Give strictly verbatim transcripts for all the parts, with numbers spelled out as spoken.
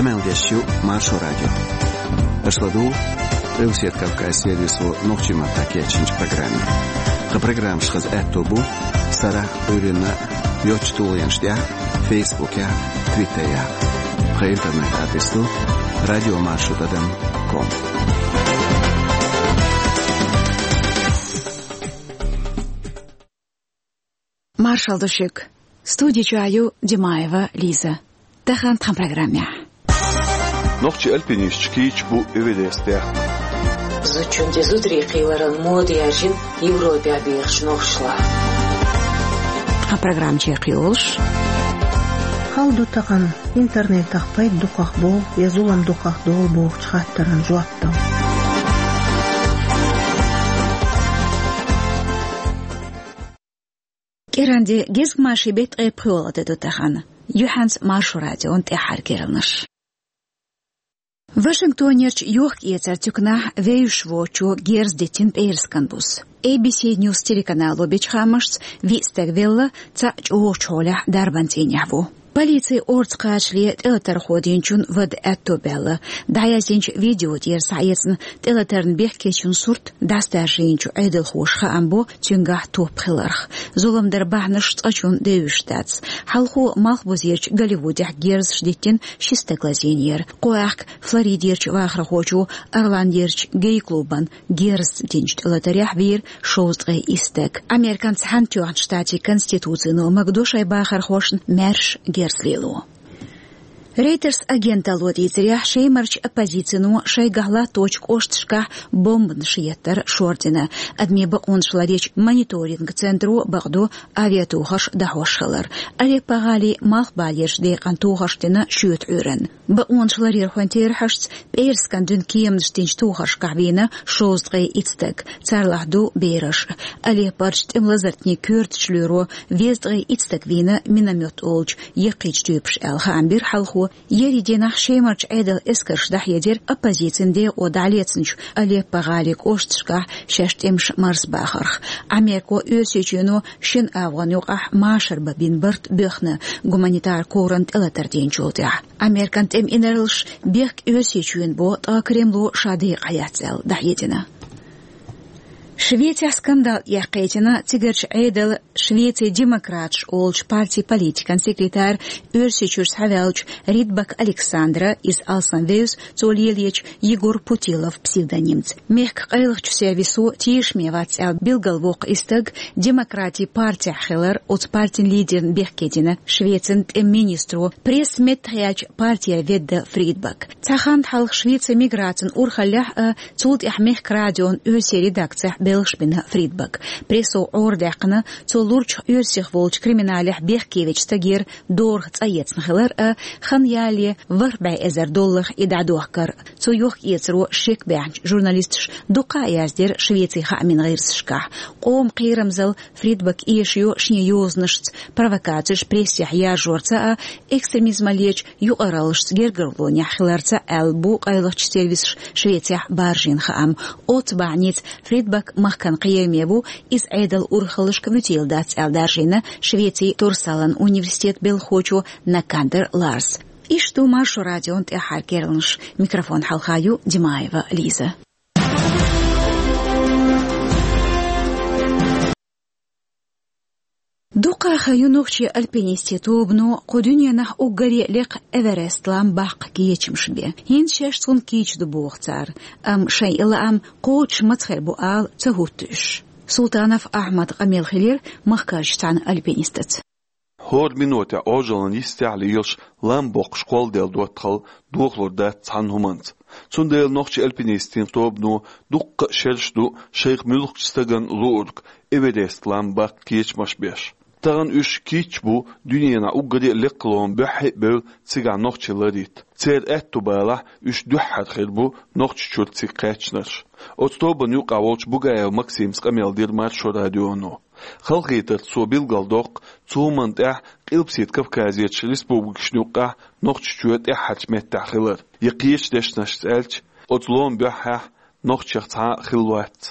Къамел деш ю Маршо радио. Аша ладугӀу Къилбаседа Кавказан сервисо нохчийн маттахь кечйинчу программе. Тхан программаш хаза аьтто бу сарахь, Ӏуьйранна йоцчу тулгӀенаш тӀехь, Фейсбукехь, Твиттерехь. Тхан интернет-адрес ду радиомаршо тӀадам ком. Маршалла ду шуьга. Студи чохь ю Димаева Лиза. Тахана тхан программехь. Нохчийн альпинисташ кийча бу Эверестехь. Зудчун тӀе зударий кхийларан мода яьржина Европехь бехачу нохчашлахь. Тхан программа чекхйолуш. Хала ду тахана интернетах пайда дукхах болу я зулам дукхах долу бохучу хаттаран жоп дала. КӀиранде гезгмашин беттан ткъе пхоьалгӀа де ду тахана. Юьхьанца Маршо радион тӀаьххьара керланаш. Вашингтонерчу йохка-эцаран туьканахь вевзаш воцучо герз диттина пӀераскан буса. Эй Би Си Ньюс телеканало бечу хаамашца, виъ стаг велла, цхьаъ чӀогӀачу хьолехь дарбан цӀийнехь ву. Полицин орца кхачале тӀелатархо динчун вада аьтто баьлла. ДӀаяздинчу видео тӀера схьаэцна тӀелатарна бехкечун сурт дӀасадаржийначу Ӏедалхоша хаам бо цуьнгахь топ хиларх. Зулам дар бахьанаш цкъачунна девзаш дац. Хьалхо Малхбузерчу Голливудехь герзаш диттина ши стаг лазийнера. Кху аьхка Флоридерчу вахархочо Орландерчу гей-клубан герз динчу тӀелатарехь вийра шовзткъе исс стаг. Американ Цхьаьнатоьхначу Штатийн Конституцино магадо шайн бахархошна маьрша герз лело. Рейтерс агенталло дийцарехь, Шемарчу оппозицино шайгахь латточу кӀошташкахь бомбанаш еттар шордина. Адамийн бакъонаш ларъечу мониторинг центро бакъдо авиатохарш дӀахьош хилар. Алеппо-гӀалин малхбалерчу декъана тохарш дина шоьтан Ӏуьйранна. Бакъонаш ларъярхойн терахьашца, пӀераскан дуьйна кеманаш динчу тохаршкахь вийна шовзткъе итт стаг, царлахь ду бераш. Алеппорчу тӀеман лазартнийн коьртачу лоьро везткъе итт стаг вийна миномет олучу яккхийчу туьйпаша аьлла хаам бира хьалхо. Ерриг дийнахь Шемарчу Ӏедалан эскарша дӀахьедира оппозицин декъо дӀалецначу Алеппо-гӀалин кӀошташкахь шаьш тӀемаш марзбахарх. Америко Оьрсийчоьно шина агӀонна юкъахь машар бан бина барт боьхна гуманитаран ковран тӀелатар динчул тӀаьхьа. Американ тӀеман инарлаш бехк Оьрсийчоьнан бо, ткъа Кремло ша декъахь яц аьлла дӀахьедина. Швецехь скандал эккхийтина цигарчу Ӏедалан Швецин демократаш олучу партин политикан секретарь, Оьрсийчуьра схьаваьллачу Фридбак Александра, иза алсамвевза цо лелочу Егор Путилов псевдонимца. Мехкан къайлахчу сервисо тешаме вац аьлла билгалвоккху и стаг демократийн партехь хилар оцу партин лидерна бехке дина Швецин тӀеман министро, пресса меттахъяьллачу партера ведда Фридбак. Цхьа хан хьалха Швецин миграцин урхаллехь а, цул тӀаьхьа мехкан радион оьрсийн редакцехь белхаш бина Фридбак. Прессо Ӏорадаьккхина цо лурчух оьрсех волчу криминалехь бехкевечу стагера дорах цӀа эцна хилар а, хан ялале ворхӀ бӀе эзар долларх и дӀадохкар. Цу йохка-эцаро шек баьхначу журналисташа дуккха а яздира Швецин хаамийн гӀирсашкахь. Къоман кхерамзалла Фридбак эшайо шен йозанашца провокацеш прессехь яржорца а, экстремизмаллечу юкъараллашца гергарлонехь хиларца а аьлла бу къайлахчу сервисаша Швецехь баржийна хаам. Оццу бахьаница Фридбак махкана кхераме ву, иза Ӏедалан урхаллашка вуьтийла дац аьлла даржийна Швецин Торсалан университетан белхахочо Накандер Ларс. Иштта ду Маршо радион тӀаьххьара керланаш. Микрофон хьалха ю Димаева Лиза. Дуккха а хан ю нохчийн альпинистийн тобано кху дуьненахь уггаре а лекха Эверест-лам баккха кечамаш бен. ХӀинца шаьш цунна кийча ду боху цара, амма шайн и лаам кхочуш маца хир бу ала ца хӀутту уьш. Султанов Ахьмадан къамел хилира махкарчу цхьана альпинистаца. ХӀора минотехь Ӏожаллин йистехь лелаш лам боккхуш кхолладелла доттагӀалла дохалур дац цхьана хӀуманца. Цундела нохчийн альпинистийн тобано дуккха а шераш ду шайх муьлххачу стагана луург, Эверест-лам баккха кечамаш беш. Тахана уьш кийча бу дуьненахь уггаре а лекха лома буьххье а бевлла цигахь нохчий ларийта. Церан аьтту балахь уьш дуьххьара хир бу Нохчийчуьра цига кхаьчнарш. Оцу тобанна юкъахь волчу Бугаев Максимас къамел дира Маршо радионо. Халахетарца цо билгалдоккху цу хӀуманна тӀехь Къилбаседа Кавказерчу республикашна юккъехь Нохчийчоь тӀаьххьарчу меттехь хилар. Я кхечу дешнашца аьлча, оцу ломан буьххьехь нохчех цхьа а хилла вац.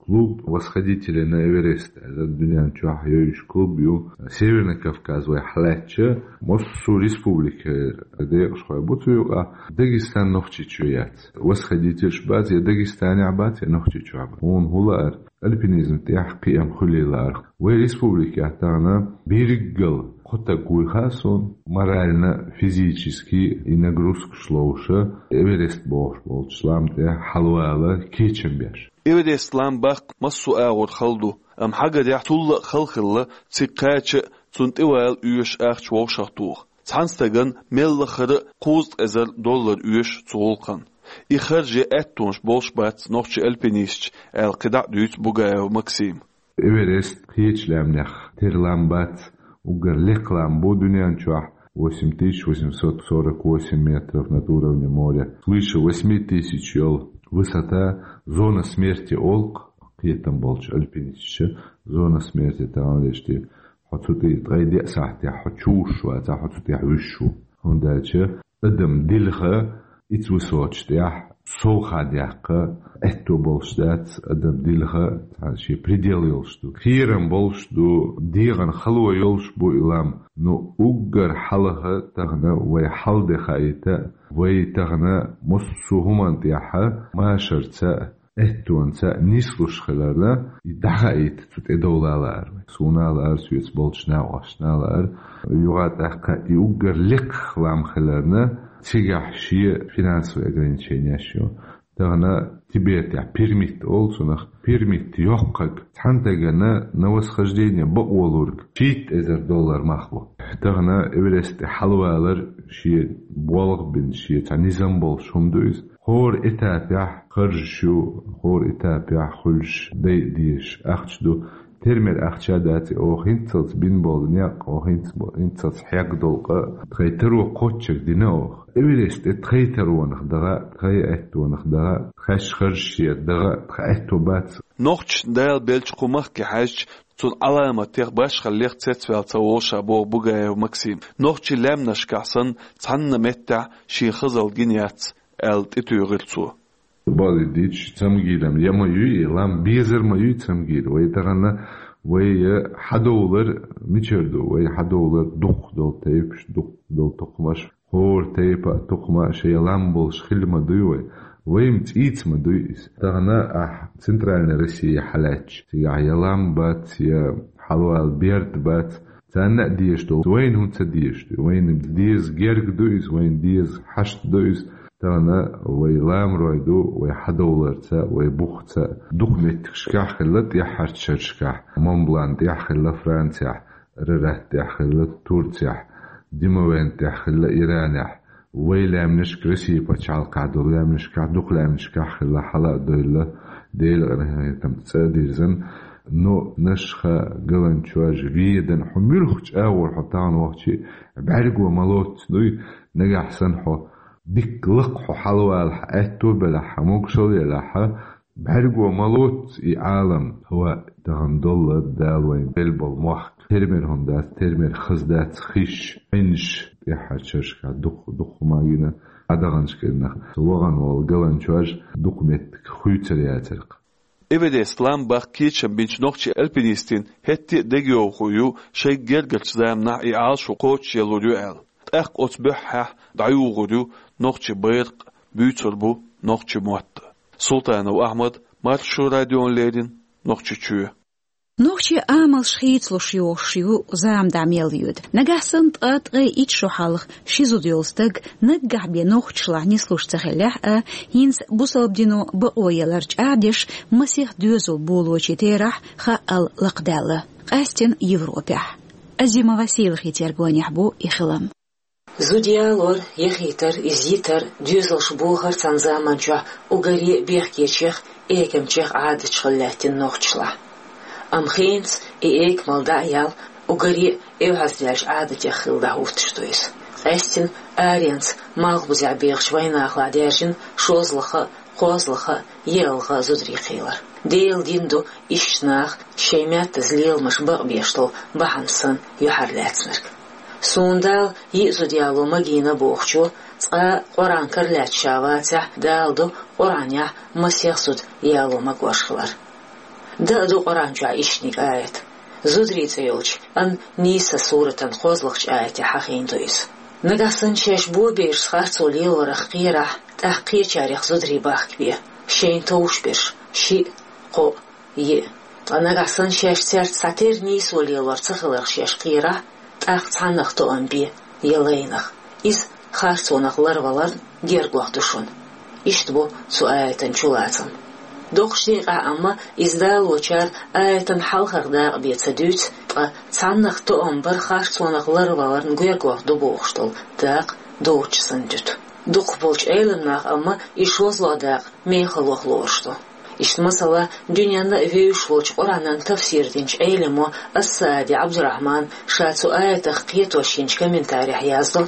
клуб восходителей на Эверест аьлла, дуьнен чохь йовзуш клуб ю. Северный Кавказ вай хьалаьцча, массо а республика декъашхой бу цу юкъа. Дагестан Нохчийчоь яц. Восходительш бац, я Дагестанехь бац, я Нохчийчохь бац. Хьуна хӀун лаьара? Альпинизм тӀехь кхиам хуьлий лаьара. Вай республикехь тахана бирггал кхо стаг вуй хаьа суна, морально, физически и нагрузкаш ловш, Эверест бохуш болчу лам тӀе хьалавала кечам беш. Эверест лам баккха массо а агӀор хала ду, амма хьагарехь, цул а хала хилла цига кхача а, цунна тӀевала оьшуш ахча вовшахтоха. Цхьана стагана мел лахара а кхузткъа эзар доллар оьшу цу гӀуллакхна. И харже аьттонаш болуш бац нохчийн альпинисташа, аьлла, кхидӀа а дуьйцу Бугаев Максима. Эверест кхечу лаьмнех тера лам бац, уггар лекха лам бу дуьнен чохь, восемь тысяч восемьсот сорок восемь метров над уровнем моря, свыше восьми тысяч йолу высота, зона смерти олу кхетам болчу альпинисташа, зона смерти тахана дешти. Хьо цу тӀе ткъе деа сахьтехь хьо чу вуьсуш вац, хьо цу тӀехь вуьсуш ву. ХӀунда аьлча адам дилха ицу высоташ тӀехь совха даккха аьтто болуш дац, адам дилха цхьа шен предел йолуш ду. Кхерам болуш ду, дегӀан хало йолуш бу и лам. Ну, уггар хьалха тахана вай хьал де хаийта, вай тахана массо а хӀуманна тӀехь машарца а, аьттонца а нислуш хиларна, и дӀахаийта цу тӀедовла лаьара вай. Суна а лаьара, соьца болчу накъосташна а лаьара. Юха а тӀаккха и уггар лекха лам хиларна, цигахь шен финансовый ограничениеш ю. Тахана Тибетехь пермит олу цунах, пермит йоккхург цхьана стагана на восхождение бакъо лург шийтта эзар доллар мах бу. Тахана Эверест тӀе хьалавалар шен болх бина, шен цхьа низам болуш хӀума ду иза. ХӀора этапехь харжаш ю, хӀора этапехь хуьлуш дай дезаш ахча ду. Тера мера ахча дац и, оха хӀинццалц бина болу некъ, оха хӀинц-, хӀинццалц хьегна долу къа, тхайн таро кхоччург дина оха. Эверест тӀе тхайн таронах даха, тхайн аьттонах даха, тхаьш харжаш яр даха, тхан аьтто бац. Нохчашна Дала беллачу кху махке хьаьжча, цунна Ӏаламатех, башхаллех цецваьлла ца волуш а боху Бугаев Максима. Нохчийн лаьмнашкахь санна, цхьанна меттехь шен хазалла гина яц, аьлла, тӀетуьйхира цо. Бакъдерг дийцича, цамгилам я ма юй и лам, безар ма юй цамгил. Вай тахана, вай хьадовлар мичара ду? Вай хьадовлар дукхах долу тайпаш, дукхах долу тукхамаш. ХӀора тайпа а, тукхама а шайн лам болуш хилла ма дуй вай. Вай-м цӀийца ма дуй иза. Тахана ахь Центральная Россия хьалаьцча, цигахь я лам бац, я хьалавала берд бац. Царна а дезаш долу, вайна хӀунда ца дезаш ду? Вайна деза герга ду иза, вайна деза хьашт ду иза. Тахана вай ламарой ду, вай хьадовларца, вай бухца. Дукха меттигашкахь хилла тӀаьххьарчу шерашкахь, Монблан тӀехь хилла Францехь, Арарат тӀехь хилла Турцехь, Димовен тӀехь хилла Иранехь. Вай лаьмнашка Россия пачхьалкхехь долу лаьмнашкахь, дукха лаьмнашкахь хилла, хьала а девлла, Делан къинхетамца цӀа а дирзина. Но Нашха, Галанчожа, Ведана, хьо муьлххачу агӀор хьо тахана вахча а, бӀаьрго ма лоццу дуй, нагахь санна хьо дикка лакха хьо хьалавалахь, аьтто а белахь, могушалла елахь, бӀаьрго ма лоццу и Ӏалам. ХӀа, тахана долла Дала вайна делла болу мохк. Тера мера хӀума дац, тера мера хаза дац хиш, Ӏинаш, тӀаьххьарчу шерашкахь дукха, дукха хӀума гина, Ӏадаханчу кӀирнах вахана волу Галанчожа дукха меттиг хуьйцур яцара-кх. Эверест лам баккха кечам бинчу нохчийн альпинистийн хӀетте а дегайовхо ю шайга гергарчу заманахь и Ӏалашо кхочушъялур ю аьлла. ТӀаккха оцу буьххьехь дӀаюгӀур ю нохчийн байракх, буьйцур бу нохчийн мотт. Султанов Ахьмад, Маршо радиона леррина, Нохчийчоь. Нохчийн амалш хийцалуш йогӀуш ю зама дӀа мел йоьду. Нагахь санна ткъа, ткъе итт шо хьалха ши зуда йолу стаг наггахь бен нохчашлахь нислуш ца хиллехь а, хӀинца бусалба дино бакъо ялар чӀагӀдеш масех доьзал болочийн терахь хаъал лакхадаьлла, къаьстина Европехь. Азимова Сийлахьан тергонехь бу и хилам. Зуда ялор, яхийтар, иза йитар, доьзалш бохар цхьана заманчохь уггаре а бехкечех, экамчех Ӏадатех хилла лаьттина нохчашлахь. Амма хенца и экамалла дӀа а яьлла, уггаре а эвхьаздаьллачу Ӏадатех хилла дӀахӀуттуш ду иза. Къаьстина аренца малхбузехь бехачу вайнахалахь даьржина шозлагӀа а, кхозлагӀа а, йоьалгӀа а зударий кхийлар. Делан дин ду иштта нах шайн меттаза леламаш бакъбеш долу бахьана санна юьхьарлаьцнарг. Суна Дала йиъ зуда яло магийна бохучо, цкъа а Къуръан кара лаьцна ша вацахь, Дала ду Къуръанехь масех зуда яло магош хилар. Даа ду Къуръан чохь ишттаниг аят. Зударий цӀе йолчу Ан-Ниса суратан кхозлагӀчу аятехь хьахийна ду иза. Нагахь санна шаьш боберашца харцо лелорах кхерахь, тӀаккха кхечарех зударий бахкабе, шайна товш берш, шиъ, кхоъ, йиъ. Ткъа нагахь санна шаьш цаьрца цхьатерра нийсо лелор ца хиларх шаьш кхерахь, тӀаккха цхьаннах тоам бе, я лайнах. Иза харцонах ларваларна гергох ду шуна. Иштта бу цу аятан чулацам. Доккхачу декъехь амма иза далочара аятан хьалхара дакъа бен ца дуьйцу, ткъа цхьаннах тоам бар харцонах ларваларна гергох ду бохуш долу дакъа доцуш санна дуьту. Дукхахболчу Ӏеламнаха амма и шозлагӀа дакъа мехаллах лоруш ду. Иштта, масала, дуьненна а вевзаш волчу Къуръанан тафсир динчу Ӏелимо Ас-Саади Ӏабдурахьман ша цу аятах кхетош йинчу комментарехь яздо: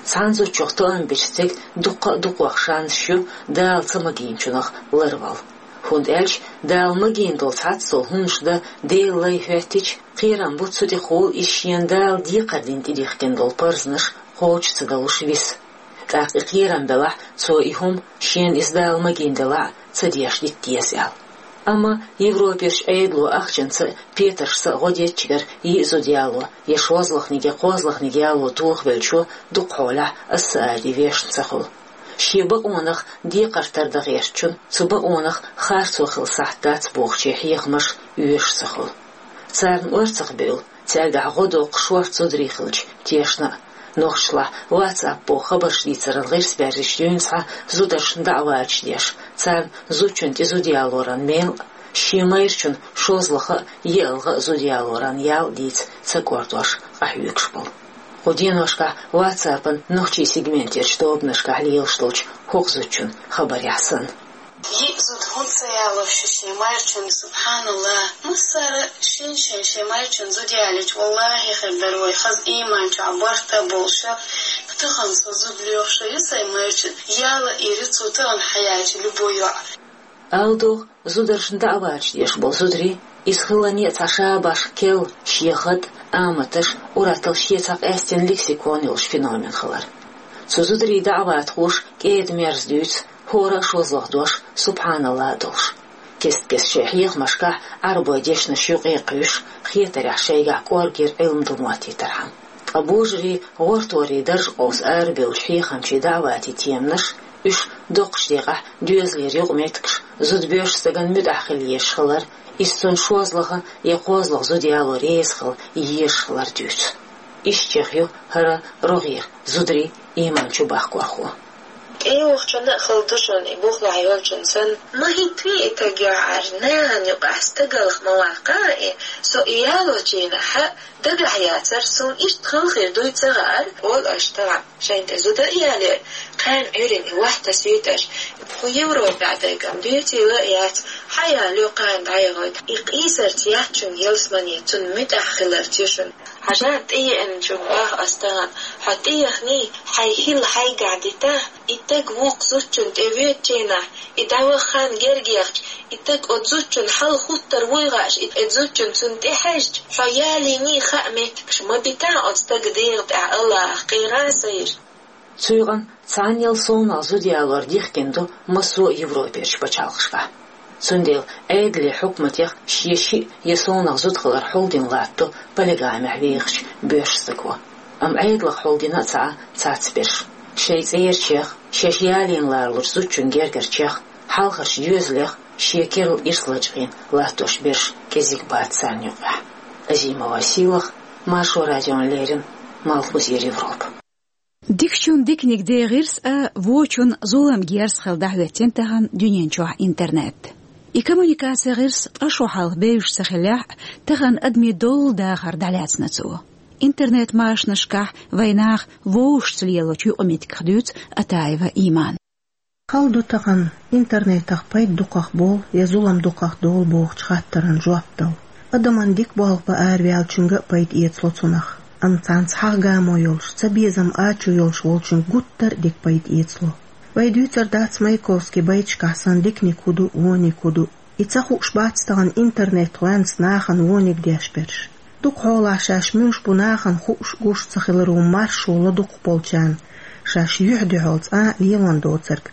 цхьана зудчух тоам бечу стеган дуккха а дукхох шансаш ю Дала ца магийначунах ларвала. ХӀунда аьлча Дала магийна долу цхьацца долу хӀуманаш дан Делан лай хӀоьттича, кхерам бу цу тӀехула иза шена Дала декхар дина тӀедихкина долу парзнаш кхочуш ца далуш виса. ТӀаккха и кхерам белахь, цо и хӀума, шена иза Дала магийна делахь а, ца деш дита деза аьлла. Амма Европерчу Ӏедало ахчанца а, петаршца а гӀо дечигара йиъ зуда яло, я шозлагӀниг, я кхозлагӀниг яло тохавеллачо дукха хьолахь Ас-Саади вешан ца хуьлу. Шен бакъонах декхар тардан гӀертачун, цу бакъонах харцо хила сахьт дац бохучийн хьехамаш оьшуш ца хуьлу. Царна орцах бевлла, цаьргахь гӀо доккхуш шорта зударий хилча тешна а. Нохчашлахь WhatsApp боху хабарш дийцаран гӀирс баьржича дуьйна схьа зударшна даӀваташ деш, царна зудчунна тӀе зуда ялоран мел а, шен майрачунна шозлагӀа а, йиъалгӀа а зуда ялоран ял а дийца ца кӀордош къахьоьгуш болу. Кху деношкахь WhatsApp-ан нохчийн сегментерчу тобанашкахь лелаш долчу хӀокху зудчун хабарехь санна. Йиъ зуда хӀунда ца яло шу шен майрачунна, субхьаналлахӀ? Массара шен-шен шен майрачунна зуда ялийча, валлахӀи, хир дара вай хаза ийман чохь барт а болуш, тахана со зуда лоьхуш а ю сайн майрачунна, яла а эр ю цо тахана хьаяьлча любой йоӀ. Ала догӀу, зударшна даӀваташ деш болу зударий, иза хиларна а цхьа шабаш, керла, шен хатӀ, аматаш, уьттазза шен цхьа къаьстина лексикон йолуш феномен хилар. Цу зударийн даӀватхоша кӀеда-мерза дуьйцу, хӀора а шозлагӀа дош, субхьаналлахӀ а долуш. Кест-кеста шайн хьехамашкахь Ӏарбойн дешнаш юкъе кхуьйсуш, хетарехь шайгахь кӀоргера Ӏилма дан моттийтархьама. Ткъа божарийн, гӀорторийн дарж къовса арабевллачу хьехамчийн даӀватийн теманаш, уьш доккхачу декъехь доьзалера юкъаметтигаш, зуда боьршачу стагана муьтӀахь хила езаш хилар, иза цунна шозлагӀа я кхозлагӀа зуда яло реза хила езаш хилар дуьйцу. Иштта чехь ю хӀара рогӀера зударий ийман чу бахкорхо. ТӀевахчунна а хала ду шуна и бухахь йолчунна санна. Ма хӀиттаве и таг яхьара, нахана юкъахь стагалх ма ваккха и, со и ялочийнахь дагахь яцара, суна иштта хала хир дуй ца хаьара, олу аша тахана. Шайна тӀе зуда а ялийра, кхана Ӏуьйранна и вахь тасуьйту аша. Кху Европехь дайгам дуьйцийла а яц, хьаялайо кхана дӀаяхийта. И къийсарца яц шуна ялсамани, цунна муьтӀахь хиларца ю шуна. Хьажа, тӀееанчунна боху ас тахана, хьо тӀеяхний, хьайн хӀилла хьайгахь дита, и таг вукху зудчунна тӀе воьдучийнахь, и дӀаваха хан герга яхча, и таг оцу зудчунна хьал хуттар вуй хууш, и, и зудчунна цунна тӀе хьаьжча, хьо ялийний хаа меттигаш ма бита оцу стага дегӀа тӀехь, АллахӀах кхера а ца йиш. Цу юкъана цхьаннел совнах зуда ялор дихкина ду массо а Европерчу пачхьалкхашкахь. Цундела Ӏедале, хьукматех шен шиъ я совнах зуда хилар хьулдина латтадо полигамехь вехачу боьрша стаго. Амма Ӏедалх хьулдина а ца Ӏа цхьацца берш. Шайн цӀерачех, шаьш ялийна ларалучу зудчун гергарчех, хьалхарчу доьзалех шен керла ирс лачкъийна латтош берш кӀезиг бац царна юкъахь. Азимова Сийлаха, Маршо радиона леррина, Малхбузера Европа. Дикачун диканиг де гӀирс а, вочун зулам герз хила дӀахӀоьттина тахана дуьнен чохь интернет. И коммуникаци гӀирс ткъа шо хьалха бевзаш ца хиллехь а, тахана адамийн доллу дахар дӀалаьцна цо. Интернет-машанашкахь вайн наха вовшашца лелочу юкъаметтигах дуьйцу Атаева Имана. Хала ду тахана интернетах пайда дукхах болу я зулам дукхах долу бохучу хаттаран жоп дала. Адаман дика болх бан араваьллачуьнга а пайда эцало цунах, амма цхьаьнца хьагӀ гамо йолуш, цабезам ачо йолуш волчуьнга гуттар а дика пайда эцало. Вай дуьйцур дац Маяковскийн байташкахь санна диканиг хӀун ду, вониг хӀун ду. И ца хууш бац тахана интернет гӀоьнца нахана вониг деш берш. Дукха хьолахь шаьш муьлш бу нахана хууш, гуш ца хиларо маршо ло дукхахболчарна, шаьш юьхь-дуьхьал цкъа а лелон доцург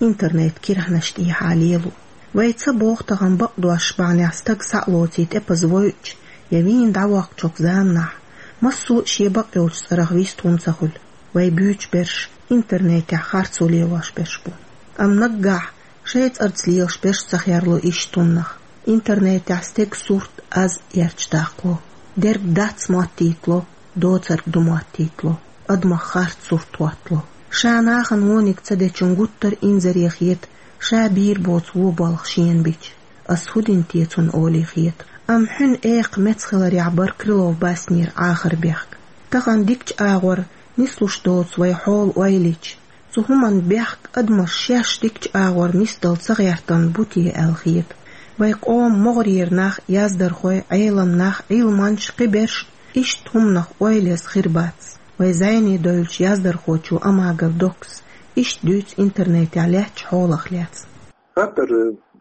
интернет кирхьанаш тӀехьа лело. Вай ца боху тахана бакъдош бахьанехь стаг схьа а лоций тӀепаза войучу я вийна дӀавоккхучу заманахь, массо а шен бакъ йолчу цӀарах вистхуьлу ца хуьлу, вай буьйцу берш интернетехь харцо лелош берш бу. Амма наггахь шайн цӀарца лелаш берш ца херло иштта хӀуманах. Интернетехь стеган сурт аз эрча даккхало, дерг дац моттийтало, доцург ду моттийтало, адамах харц сурт хӀоттало. Ша нахана вониг ца дечун гуттар а инзаре хета, ша бийр боцу вон болх шена бича. Ас хӀун дина те цунна олий хета. Амма хьуьнан экха меца хиларехь бара Крылов Баснера Ӏахар бехк. Тахана дикачу агӀор нислуш доцу вай хьола ойла йича, цу хӀуманан бехк адамаш шаьш дикачу агӀор нисдала ца гӀертарна бу те аьлла хета. Вай къоман могӀарера нах, яздархой, Ӏелам нах, Ӏилманчаш, кхиберш иштта хӀуманах ойла еза хир бац. Вай зӀене девллачу яздархочо Амагов Доккас иштта дуьйцу интернетехь лаьттачу хьолах лаьцна. Хаттар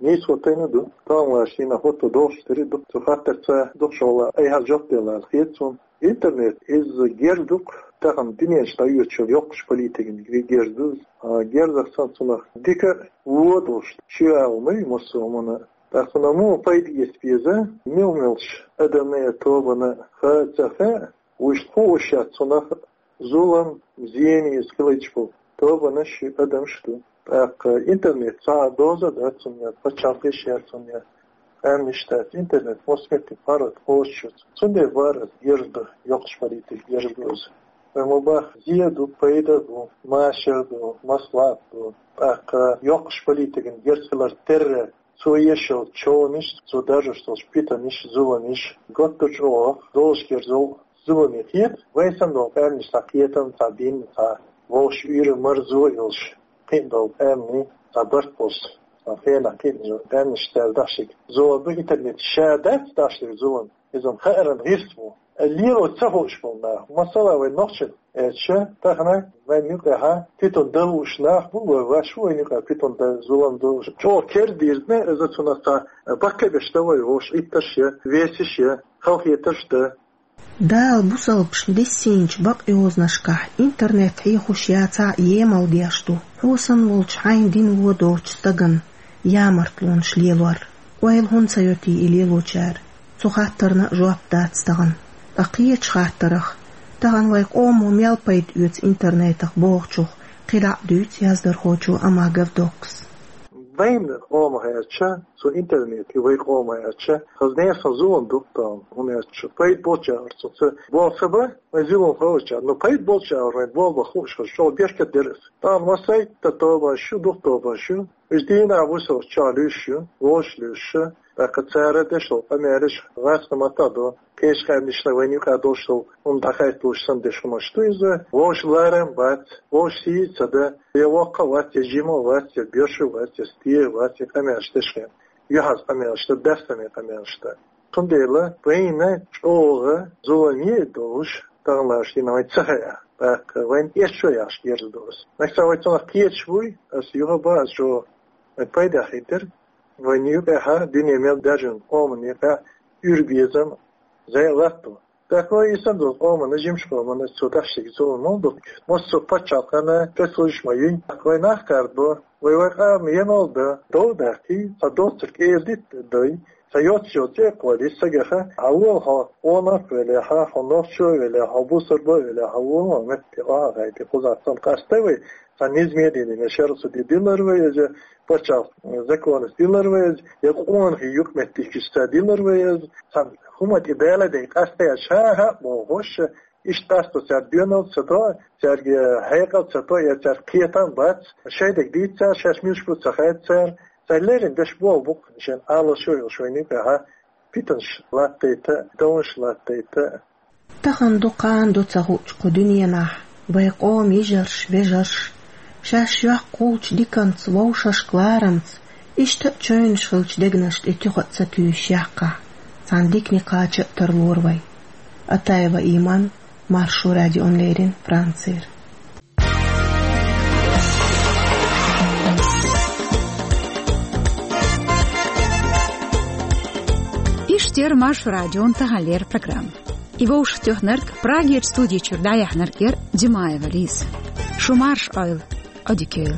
нийса хӀоттийна ду, тахана шена хӀотто догӀуш дерриг ду. Цу хаттарца дукхачу хьолахь айхьа жоп делла хета суна. Интернет иза герз ду-кх тахана дуьненаш дӀайоьдучу йоккхачу политикан герз ду иза. А герзах санна цунах дика а, вон а долуш, шен агӀо ма ю массо а хӀуманна. ТӀаккха цунах муха пайда эца беза, мел-мелча адамна а, тобанна а, хаьа а, ца хаьа а, вуьшта хууш яц цунах зулам, зене иза хилийташ болу тобанаш а, адамаш а ду. ТӀаккха интернет цхьа а доза а дац цунна, пачхьалкхаш а яц цунна, къаьмнаш а дац. Интернет массо а меттиг паргӀат кхочуш ю. Цундела бара аса герз ду, йоккхачу политикан герз ду иза. Вай ма боху, зе а ду, пайда а бу, машар а ду, маслаӀат а ду. ТӀаккха йоккхачу политикан герз хилар терра, цо еш йолу човнаш, цо даржош долчу питанаш, зуламаш, готта чӀогӀа долуш герз йолу зуламе хета, вай санна долу къаьмнаш цхьа кхетам, цхьа дин, цхьа вовшах уьйр а, марзо а йолуш, кхин а долу къаьмнийн цхьа барт болуш, цхьа хенахь кхин а къаьмнаш цара дахчийта зулам ду, интернет ша дац дахчийта зулам, иза-м хааран гӀирс бу. Лело ца хууш болу нах, масала, вай нохчийн аьлча, тахана вайн юкъахь питана дан лууш нах бу, вай ваьш ву вайн юкъахь питана дан, зулам дан лууш. ЧӀогӀа кердина иза, цунах цхьа баккхий беш дан вай вовшах, иттарш а, весаш а, халахетарш а дан. Дала бусалбашна диссийначу бакъйозанашкахь интернет хьехош яцахь а емал деш ду, хьо санна волчу хьайна дин вон доцучу стагана ямартлонаш лелор. Ойла хӀунда ца йо те и лелочара? Цу хаттарна а жоп дац тахана. Ткъа кхечу хаттарх, тахана вай къомо мел пайда оьцу интернетах бохучух кхидӀа а дуьйцу яздархочо Амагов Доккас. Вайн къомах аьлча, цу интернете вай къомах аьлча, хаза нехан зулам ду-кх тахана, хӀунда аьлча пайда болчара цунца болх ца бан, вайн зулам хилчара, но пайда болчара вайн болх бан хууш хилча, чӀогӀа беркат дара иза. Тахана массайтта тобанаш ю, дукха тобанаш ю, уьш дийнахь-бусалба чохь луьйш ю, вовшах луьйш ю, тӀаккха цара деш долу къамелаш гӀазкхийн маттахь ду, кхечу къаьмнашна вайна юкъахь долуш долу хӀума дӀахаийталуш санна деш хӀуманаш ду иза, вовшах ларам бац, вовшах сий ца дан, я воккха а вац, я жима а вац, я боьрша а вац, я стегӀа а вац, я къамелаш деш хилла, юьхьанца къамелаш дан, баьссаме къамелаш дан. Цундела вайна чӀогӀа зуламе а долуш, тахана лаьтташ дина вайн ца хаьа, тӀаккха вайна эшшо яхаш герз ду аса. Нагахь санна вай цунах кхеташ буй, аса юха а бан аса чӀогӀа вайн пайдехь хир дара, вайна юкъахь дуьне мел даьржина къоман юкъахь уьйр, безам, зӀе латто. ТӀаккха вай и санна долу къоманна, жимачу къоманна цо даш дерг зулам ма ду. Массо а пачхьалкхана спецслужбаш ма юй. Вай нах кхардо, вай, вай къам емал дан, дов даккхий, цхьа доцург эладитта дой, цхьа йоццо цӀе а кхоллий, сагах: «Хьан вола хьо, къонах а велахь, хьо нохчо а велахь, хьо бусалба а велахь, хьан вола хьо метте охьа а гӀайта, кхузахь цунна къастай вай, цхьа низаме а дина, шаьргӀа суде дилар вай иза, пачхьалкхан законаца дилар вай иза, я къонахий юкъаметтигашца дилар вай иза, цхьа хӀума тӀе даладайта къастаяш, хӀан-хӀа а бохуш, иштта къасто цаьрга доьналла ца то, цаьрга хьекъал ца то, я цаьрга кхетам бац, шайн дерг дийца цара, шаьш муьлш бу ца хаьа цара, цара леррина деш болх бу-кх шайна Ӏалашо а йолуш вайна юкъахь питанаш латтайта, довнаш латтайта». Тахана ду, кхана ду ца хуучу кху дуьненахь вай къоман йижарш, вежарш, шаьш йоккха хуучу диканца, вовшашка ларамца, иштта а чевнаш хиллачу дегнаш тӀе туьха а ца туьйсуш яккхахь, цхьана дикане кхача а тарлора вай. Атаева Иман, Маршо радиона леррина, Францера. Иштта яра Маршо радион таханлера программа. И вовшахтоьхнарг, Прагерчу студи чуьра дӀаяьхьнарг яра Димаева Лиза. Шу марша Ӏойла, Ӏодика йойла.